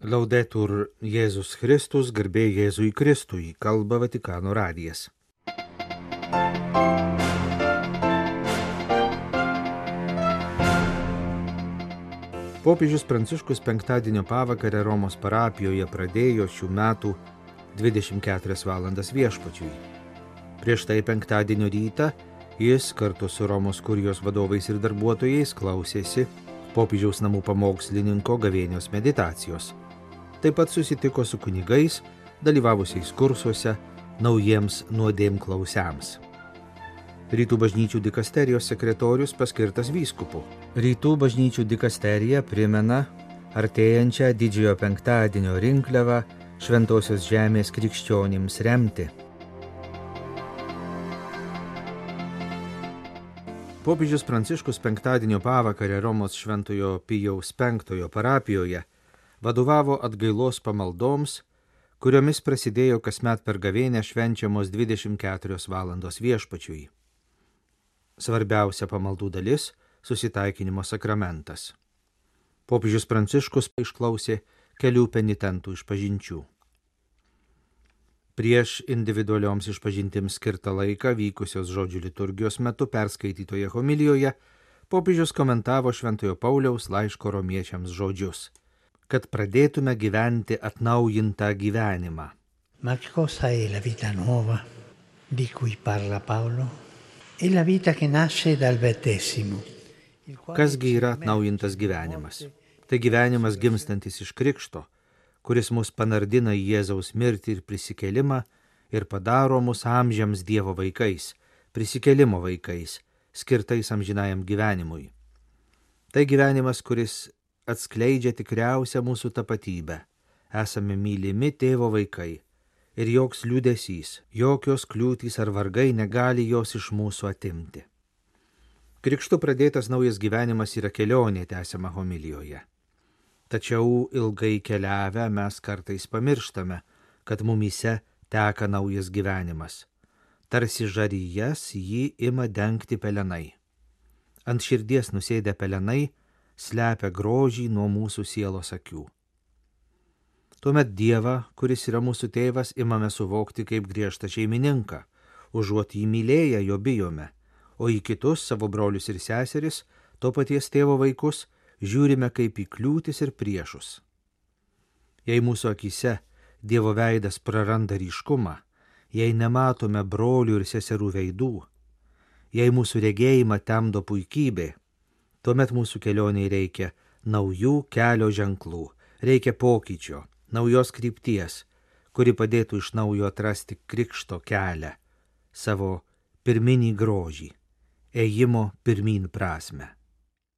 Laudetur Jėzus Kristus, garbė Jėzui Kristui, kalba Vatikano radijas. Popiežius Pranciškus penktadienio pavakarę Romos parapijoje pradėjo šių metų 24 valandas viešpačiui. Prieš tai penktadienio rytą jis kartu su Romos kurijos vadovais ir darbuotojais klausėsi popiežiaus namų pamokslininko gavėnios meditacijos. Taip pat susitiko su kunigais, dalyvavusiais kursuose naujiems nuodėmklausiams. Rytų bažnyčių dikasterijos sekretorius paskirtas vyskupu. Rytų bažnyčių dikasterija primena artėjančią didžiojo penktadienio rinkliavą Šventosios žemės krikščionims remti. Popiežius Pranciškus penktadienio pavakarę Romos Šventojo Pijaus V parapijoje vadovavo atgailos pamaldoms, kuriomis prasidėjo kasmet per gavėnią švenčiamos 24 valandos viešpačiui. Svarbiausia pamaldų dalis – susitaikinimo sakramentas. Popiežius Pranciškus išklausė kelių penitentų išpažinčių. Prieš individualioms išpažintims skirtą laiką vykusios žodžių liturgijos metu perskaitytoje homilijoje popiežius komentavo Šventojo Pauliaus laiško romiečiams žodžius, kad pradėtume gyventi atnaujintą gyvenimą. Ma cosa è la vita nuova di cui parla Paolo? È la vita che nasce dal battesimo. Kasgi yra atnaujintas gyvenimas? Tai gyvenimas gimstantis iš krikšto, kuris mus panardina į Jėzaus mirtį ir prisikėlimą ir padaro mus amžiams Dievo vaikais, prisikėlimo vaikais, skirtais amžinajam gyvenimui. Tai gyvenimas, kuris atskleidžia tikriausią mūsų tapatybę. Esame mylimi tėvo vaikai ir joks liūdesys, jokios kliūtys ar vargai negali jos iš mūsų atimti. Krikštu pradėtas naujas gyvenimas yra kelionė, tęsiama homilijoje. Tačiau ilgai keliavę mes kartais pamirštame, kad mumyse teka naujas gyvenimas. Tarsi žarijas jį ima dengti pelenai. Ant širdies nusėdę pelenai slepia grožį nuo mūsų sielos akių. Tuomet Dievą, kuris yra mūsų tėvas, imame suvokti kaip griežtą šeimininką, užuot jį mylėję jo bijome, o į kitus savo brolius ir seseris, to paties tėvo vaikus, žiūrime kaip į kliūtis ir priešus. Jei mūsų akyse Dievo veidas praranda ryškumą, jei nematome brolių ir seserų veidų, jei mūsų regėjimą temdo puikybė, tuomet mūsų kelioniai reikia naujų kelio ženklų, reikia pokyčio, naujos krypties, kuri padėtų iš naujo atrasti krikšto kelią, savo pirminį grožį, ėjimo pirmyn prasme.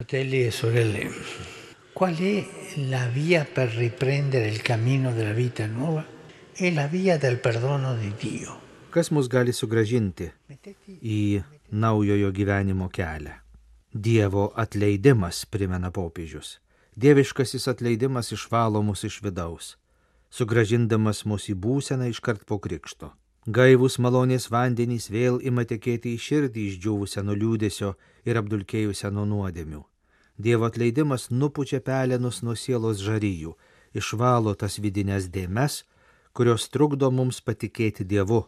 Fratelli e sorelle, qual è la via per riprendere il cammino della vita nuova? È la via del perdono di Dio. Kas mus gali sugrąžinti į naujojo gyvenimo kelią? Dievo atleidimas, primena popiežius. Dieviškasis atleidimas išvalo mus iš vidaus, sugrąžindamas mus į būseną iškart po krikšto. Gaivūs malonės vandenys vėl ima tekėti į širdį išdžiūvusią nuo liūdesio ir apdulkėjusią nuo nuodėmių. Dievo atleidimas nupučia pelenus nuo sielos žarijų, išvalo tas vidinės dėmes, kurios trukdo mums patikėti Dievu,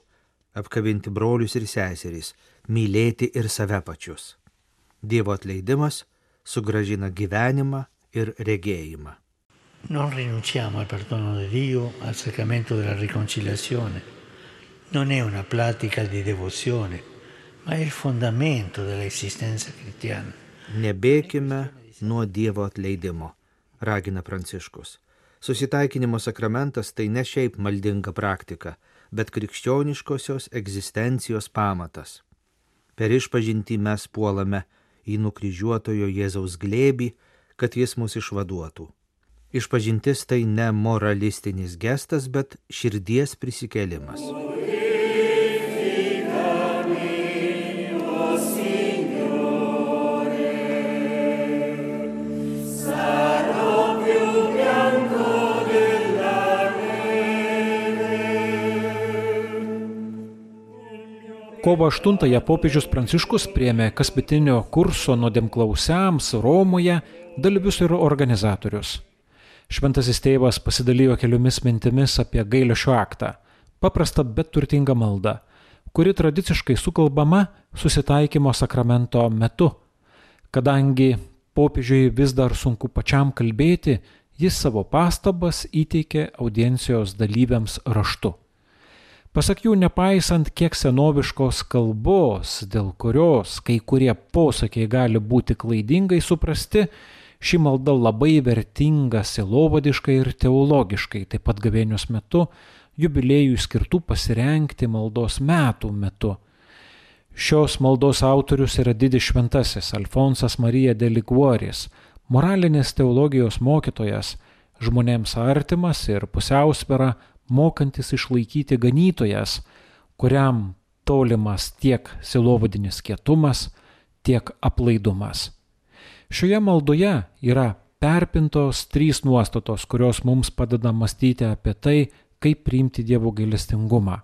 apkabinti brolius ir seseris, mylėti ir save pačius. Dievo atleidimas sugrąžina gyvenimą ir regėjimą. Non rinunciamo al perdono di Dio, al sacramento della riconciliazione. Non è una pratica di devozione, ma è il fondamento dell'esistenza cristiana. Nebėkime nuo Dievo atleidimo, ragina Pranciškus. Susitaikinimo sakramentas tai ne šiaip maldinga praktika, bet krikščioniškosios egzistencijos pamatas. Per išpažintį mes puolame į nukryžiuotojo Jėzaus glėbį, kad jis mus išvaduotų. Išpažintis tai ne moralistinis gestas, bet širdies prisikėlimas. Kovo 8-ąją popiežius Pranciškus priėmė kasmetinio kurso nuodėmklausiams Romoje dalyvius ir organizatorius. Šventasis tėvas pasidalijo keliomis mintimis apie gailesčio aktą, paprastą bet turtingą maldą, kuri tradiciškai sukalbama susitaikymo sakramento metu. Kadangi popiežiui vis dar sunku pačiam kalbėti, jis savo pastabas įteikė audiencijos dalyviams raštu. Pasak jų, nepaisant kiek senoviškos kalbos, dėl kurios kai kurie posakiai gali būti klaidingai suprasti, ši malda labai vertinga sielovadiškai ir teologiškai, taip pat gavėnios metu, jubiliejui skirtų pasirengti maldos metų metu. Šios maldos autorius yra didis šventasis Alfonsas Marija de Liguoris, moralinės teologijos mokytojas, žmonėms artimas ir pusiausvyrą mokantis išlaikyti ganytojas, kuriam tolimas tiek sielovadinis kietumas, tiek aplaidumas. Šioje maldoje yra perpintos 3 nuostatos, kurios mums padeda mąstyti apie tai, kaip priimti Dievo gailestingumą.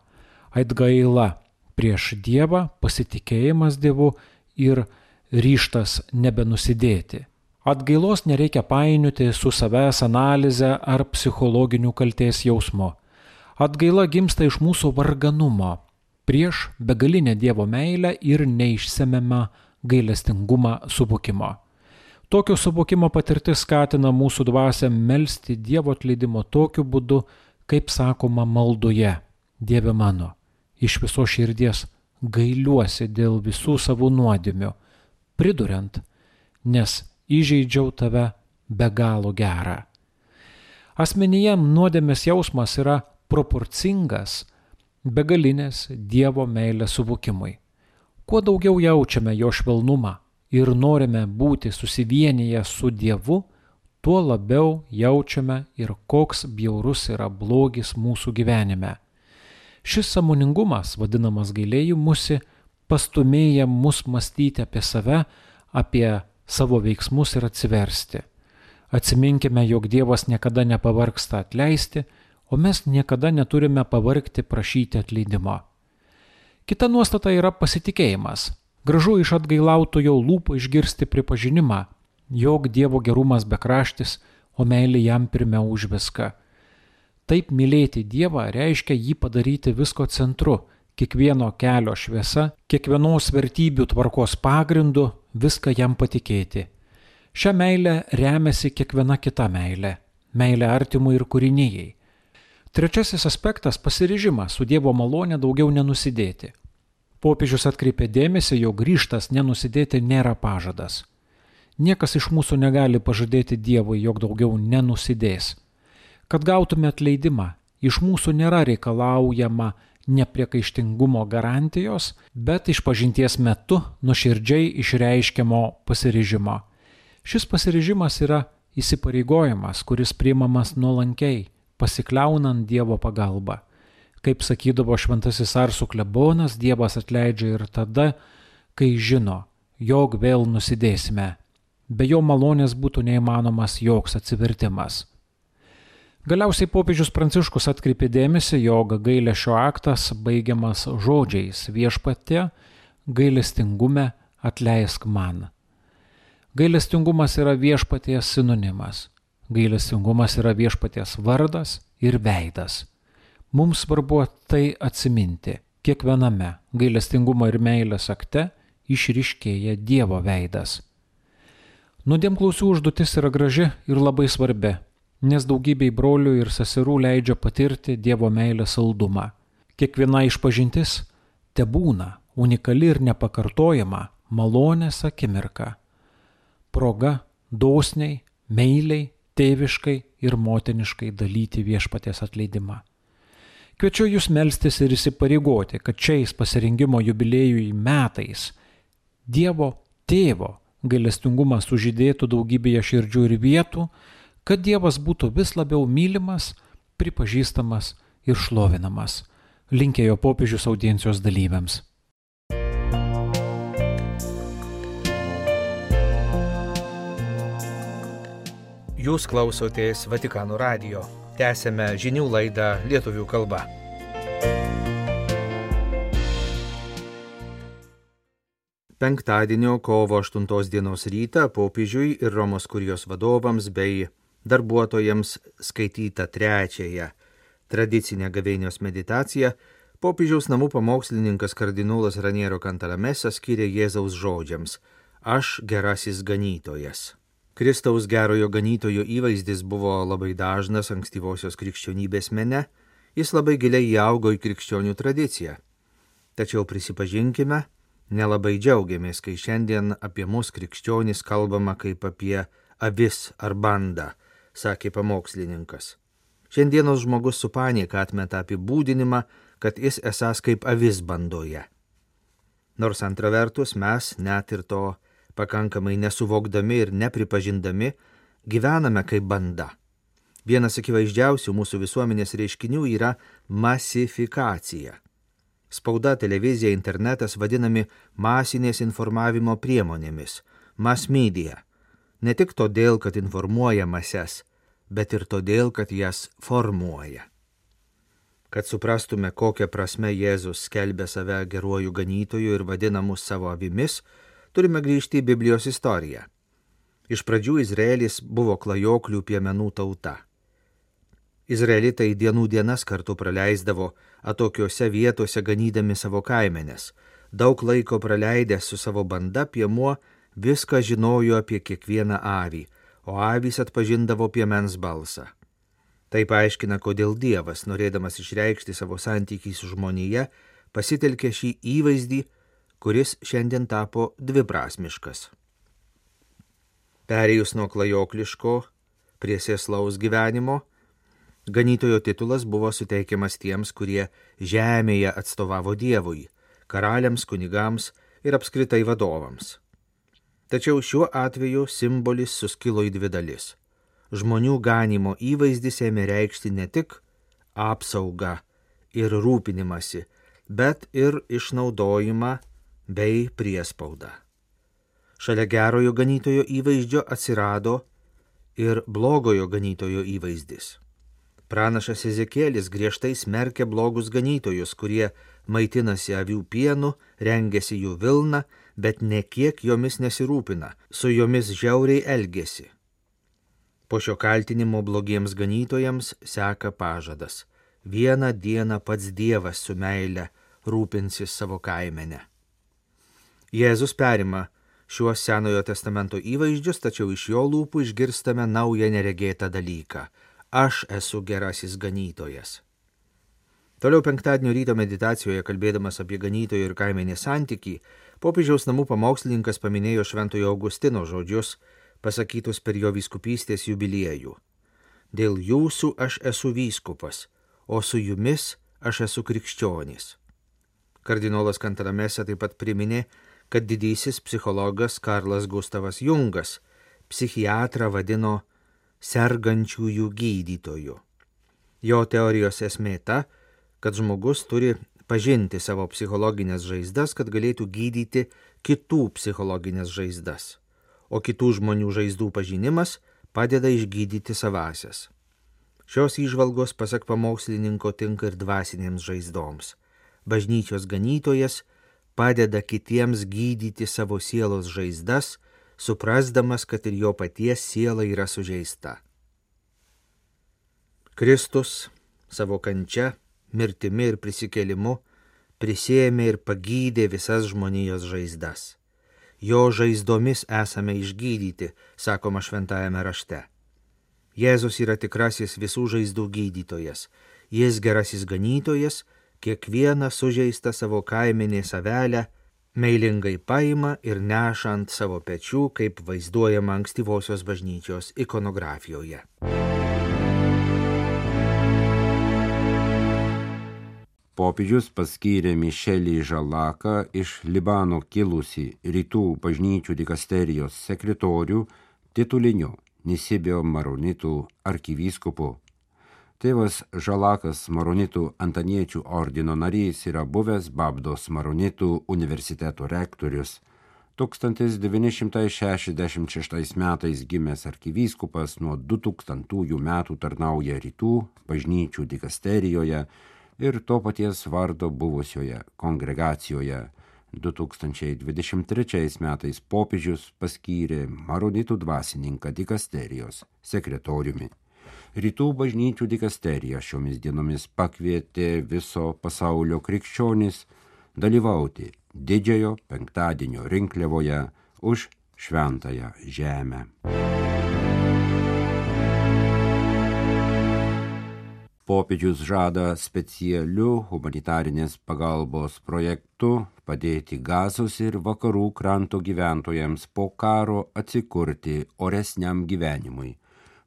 Atgaila prieš Dievą, pasitikėjimas Dievu ir ryžtas nebenusidėti. Atgailos nereikia painioti su savęs analize ar psichologiniu kaltės jausmu. Atgaila gimsta iš mūsų varganumo prieš begalinę Dievo meilę ir neišsemiamą gailestingumą suvokimo. Tokio suvokimo patirtis skatina mūsų dvasią melsti Dievo atleidimo tokiu būdu, kaip sakoma maldoje: Dieve mano, iš viso širdies gailiuosi dėl visų savo nuodėmių, priduriant, nes įžeidžiau tave be galo gerą. Asmenyje nuodėmės jausmas yra proporcingas begalinės Dievo meilės suvokimui. Kuo daugiau jaučiame jo švelnumą ir norime būti susivienyje su Dievu, tuo labiau jaučiame ir koks bjaurus yra blogis mūsų gyvenime. Šis sąmoningumas, vadinamas gailėjimusi, pastumėja mus mąstyti apie save, apie savo veiksmus ir atsiversti. Atsiminkime, jog Dievas niekada nepavargsta atleisti, o mes niekada neturime pavargti prašyti atleidimo. Kita nuostata yra pasitikėjimas. Gražu iš atgailautojo lūpų išgirsti pripažinimą, jog Dievo gerumas bekraštis, o meilė jam pirmiau už viską. Taip mylėti Dievą reiškia jį padaryti visko centru, kiekvieno kelio šviesa, kiekvienos vertybių tvarkos pagrindu, viską jam patikėti. Šią meilę remiasi kiekviena kita meilė artimui ir kūrinijai. Trečiasis aspektas – pasiryžimas su Dievo malone daugiau nenusidėti. Popiežius atkreipė dėmesį, jog ryžtas nenusidėti nėra pažadas. Niekas iš mūsų negali pažadėti Dievui, jog daugiau nenusidės. Kad gautume atleidimą, iš mūsų nėra reikalaujama nepriekaištingumo garantijos, bet išpažinties metu nuoširdžiai išreiškiamo pasiryžimo. Šis pasiryžimas yra įsipareigojimas, kuris priimamas nuolankiai, pasikliaunant Dievo pagalbą. Kaip sakydavo šventasis Arsų klebonas, Dievas atleidžia ir tada, kai žino, jog vėl nusidėsime. Be jo malonės būtų neįmanomas joks atsivertimas. Galiausiai popiežius Pranciškus atkreipė dėmesį, jog gailesčio aktas baigiamas žodžiais: Viešpatie, gailestingume atleisk man. Gailestingumas yra Viešpaties sinonimas. Gailestingumas yra Viešpaties vardas ir veidas. Mums svarbu tai atsiminti. Kiekviename gailestingumo ir meilės akte išryškėja Dievo veidas. Nuodėmklausių užduotis yra graži ir labai svarbi, nes daugybei brolių ir seserų leidžia patirti Dievo meilės saldumą. Kiekviena išpažintis tebūna unikali ir nepakartojama malonės akimirka. Proga dosniai, meiliai, tėviškai ir motiniškai dalyti Viešpaties atleidimą. Kviečiu jūs melstis ir įsipareigoti, kad šiais pasirengimo jubiliejui metais Dievo Tėvo gailestingumas sužydėtų daugybėje širdžių ir vietų, kad Dievas būtų vis labiau mylimas, pripažįstamas ir šlovinamas. Linkėjo popiežius audiencijos dalyviams. Jūs klausotės Vatikano radijo. Tęsėme žinių laidą lietuvių kalba. Penktadienio kovo 8 dienos rytą popiežiui ir Romos kurijos vadovams bei darbuotojams skaitytą trečiąją tradicinę gavėnios meditaciją popiežiaus namų pamokslininkas kardinolas Raniero Cantalamessa skyrė Jėzaus žodžiams: Aš gerasis ganytojas. Kristaus gerojo ganytojo įvaizdis buvo labai dažnas ankstyvosios krikščionybės mene, jis labai giliai įaugo į krikščionių tradiciją. Tačiau prisipažinkime, nelabai džiaugiamės, kai šiandien apie mus krikščionys kalbama kaip apie avis ar bandą, sakė pamokslininkas. Šiandienos žmogus su panieka atmeta apibūdinimą, kad jis esąs kaip avis bandoje. Nors antra vertus mes, net ir to pakankamai nesuvokdami ir nepripažindami, gyvename kaip banda. Vienas akivaizdžiausių mūsų visuomenės reiškinių yra masifikacija. Spauda, televizija, internetas vadinami masinės informavimo priemonėmis, mass media. Ne tik todėl, kad informuoja mases, bet ir todėl, kad jas formuoja. Kad suprastume, kokią prasme Jėzus skelbia save geruoju ganytoju ir vadina mus savo avimis, turime grįžti į Biblijos istoriją. Iš pradžių Izraelis buvo klajoklių piemenų tauta. Izraelitai dienų dienas kartu praleisdavo atokiose vietose ganydami savo kaimenes. Daug laiko praleidęs su savo banda piemuo viską žinojo apie kiekvieną avį, o avys atpažindavo piemens balsą. Tai paaiškina, kodėl Dievas, norėdamas išreikšti savo santykį su žmonija, pasitelkė šį įvaizdį, kuris šiandien tapo dviprasmiškas. Perėjus nuo klajokliško prie sėslaus gyvenimo, ganytojo titulas buvo suteikiamas tiems, kurie žemėje atstovavo Dievui, karaliams, kunigams ir apskritai vadovams. Tačiau šiuo atveju simbolis suskilo į dvi dalis. Žmonių ganymo įvaizdis ėmė reikšti ne tik apsaugą ir rūpinimąsi, bet ir išnaudojimą bei priespaudą. Šalia gerojo ganytojo įvaizdžio atsirado ir blogojo ganytojo įvaizdis. Pranašas Ezekielis griežtai smerkė blogus ganytojus, kurie maitinasi avių pienu, rengiasi jų vilną, bet nekiek jomis nesirūpina, su jomis žiauriai elgesi. Po šio kaltinimo blogiems ganytojams seka pažadas: vieną dieną pats Dievas su meile rūpinsis savo kaimenę. Jėzus perima šiuos Senojo testamento įvaizdžius, tačiau iš jo lūpų išgirstame naują neregėtą dalyką: aš esu gerasis ganytojas. Toliau penktadienio ryto meditacijoje, kalbėdamas apie ganytojo ir kaimenės santykį, popiežiaus namų pamokslininkas paminėjo Šventojo Augustino žodžius, pasakytus per jo vyskupystės jubiliejų: dėl jūsų aš esu vyskupas, o su jumis aš esu krikščionis. Kardinolas Cantalamessa taip pat priminė, kad didysis psichologas Karlas Gustavas Jungas psichiatrą vadino sergančiųjų gydytoju. Jo teorijos esmė ta, kad žmogus turi pažinti savo psichologinės žaizdas, kad galėtų gydyti kitų psichologinės žaizdas. O kitų žmonių žaizdų pažinimas padeda išgydyti savasias. Šios įžvalgos, pasak pamokslininko, tinka ir dvasinėms žaizdoms. Bažnyčios ganytojas padeda kitiems gydyti savo sielos žaizdas, suprasdamas, kad ir jo paties siela yra sužeista. Kristus savo kančia, mirtimi ir prisikėlimu prisėmė ir pagydė visas žmonijos žaizdas. Jo žaizdomis esame išgydyti, sakoma šventajame rašte. Jėzus yra tikrasis visų žaizdų gydytojas. Jis gerasis ganytojas, kiekvieną sužeistą savo kaimenės avelę meilingai paima ir neša ant savo pečių, kaip vaizduojama ankstyvosios bažnyčios ikonografijoje. Popiežius paskyrė Mišelį Žalaką iš Libano kilusį rytų bažnyčių dikasterijos sekretorių tituliniu Nisibio maronitų arkivyskupu. Tėvas Žalakas maronitų antaniečių ordino narys yra buvęs Babdos maronitų universiteto rektorius. 1966 metais gimęs arkivyskupas nuo 2000 metų tarnauja rytų bažnyčių dikasterijoje ir to paties vardo buvusioje kongregacijoje 2023 metais popiežius paskyrė maronitų dvasininką dikasterijos sekretoriumi. Rytų bažnyčių dikasterija šiomis dienomis pakvietė viso pasaulio krikščionis dalyvauti Didžiojo penktadienio rinkliavoje už šventąją žemę. Popiežius žada specialiu humanitarinės pagalbos projektu padėti Gazos ir vakarų kranto gyventojams po karo atsikurti oresniam gyvenimui.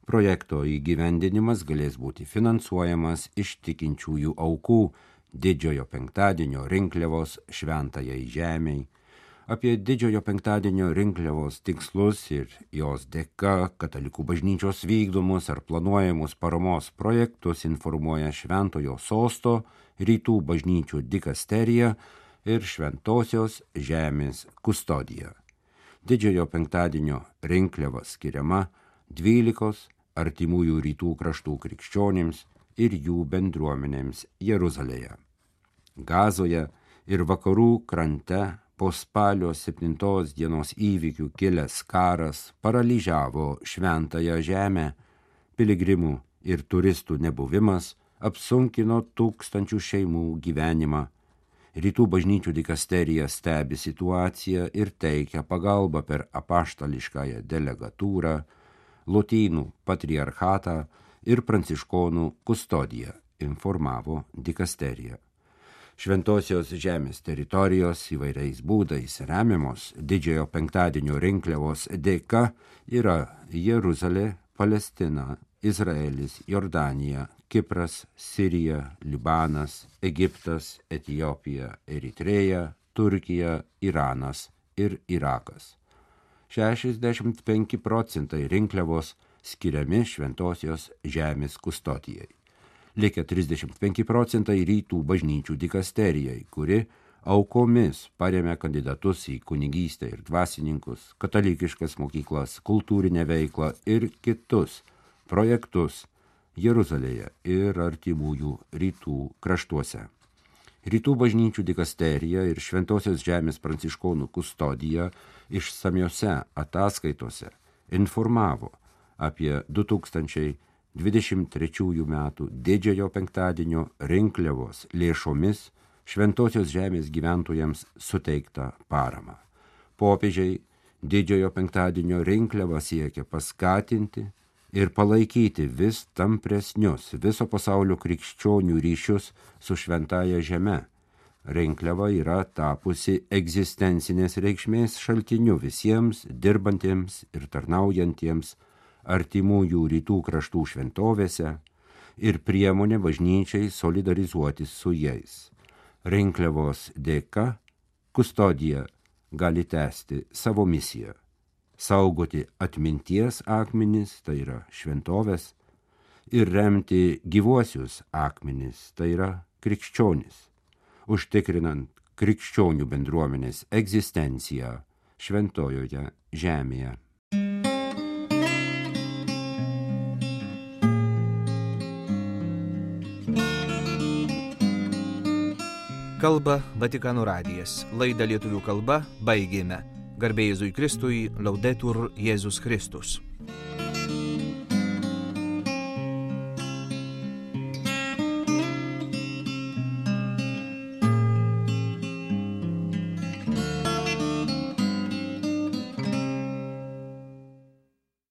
Projekto įgyvendinimas galės būti finansuojamas iš tikinčiųjų aukų Didžiojo penktadienio rinkliavos šventajai žemei. Apie Didžiojo penktadienio rinkliavos tikslus ir jos dėka katalikų bažnyčios vykdomus ar planuojamus paramos projektus informuoja Šventojo sosto, Rytų bažnyčių dikasterija ir Šventosios žemės kustodija. Didžiojo penktadienio rinkliava skiriama 12 artimųjų rytų kraštų krikščionims ir jų bendruomenėms Jeruzalėje. Gazoje ir vakarų krante po spalio 7 dienos įvykių kilęs karas paralyžiavo šventąją žemę, piligrimų ir turistų nebuvimas apsunkino tūkstančių šeimų gyvenimą. Rytų bažnyčių dikasterija stebi situaciją ir teikia pagalbą per apaštališkąją delegatūrą, Lotynų patriarchatą ir pranciškonų kustodiją, informavo dikasterija. Šventosios žemės teritorijos įvairiais būdais remiamos Didžiojo penktadienio rinkliavos dėka yra Jeruzalė, Palestina, Izraelis, Jordanija, Kipras, Sirija, Libanas, Egiptas, Etiopija, Eritreja, Turkija, Iranas ir Irakas. 65% rinkliavos skiriami Šventosios žemės kustodijai. Likę 35% rytų bažnyčių dikasterijai, kuri aukomis paremia kandidatus į kunigystę ir dvasininkus, katalikiškas mokyklas, kultūrinę veiklą ir kitus projektus Jeruzalėje ir artimųjų rytų kraštuose. Rytų bažnyčių dikasterija ir Šventosios žemės pranciškonų kustodija išsamiose ataskaitose informavo apie 2023 metų Didžiojo penktadienio rinkliavos lėšomis Šventosios žemės gyventojams suteiktą paramą. Popiežiai Didžiojo penktadienio rinkliavą siekia paskatinti ir palaikyti vis tampresnius viso pasaulio krikščionių ryšius su šventąja žeme. Rinkliava yra tapusi egzistencinės reikšmės šaltiniu visiems dirbantiems ir tarnaujantiems artimųjų rytų kraštų šventovėse ir priemonė bažnyčiai solidarizuotis su jais. Rinkliavos dėka kustodija gali tęsti savo misiją – saugoti atminties akmenis, tai yra šventovės, ir remti gyvuosius akmenis, tai yra krikščionis, užtikrinant krikščionių bendruomenės egzistenciją šventojoje žemėje. Kalba Vatikano radijas. Laidą lietuvių kalba baigėme. Garbė Jėzui Kristui, Laudetur Jėzus Kristus.